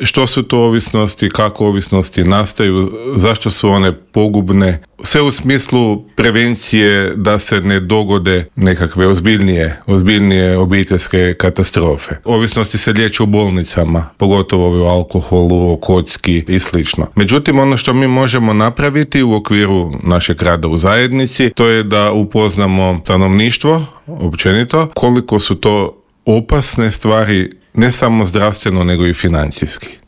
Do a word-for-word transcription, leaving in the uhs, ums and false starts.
što su to ovisnosti, kako ovisnosti nastaju, zašto su one pogubne, sve u smislu prevencije da se ne dogode nekakve ozbiljnije, ozbiljnije obiteljske katastrofe. Ovisnosti se liječe u bolnicama, pogotovo o alkoholu, o kocki i slično. Međutim, ono što mi možemo napraviti u okviru našeg rada u zajednici, to je da upoznamo stanovništvo, općenito, koliko su to opasne stvari, ne samo zdravstveno, nego i financijski.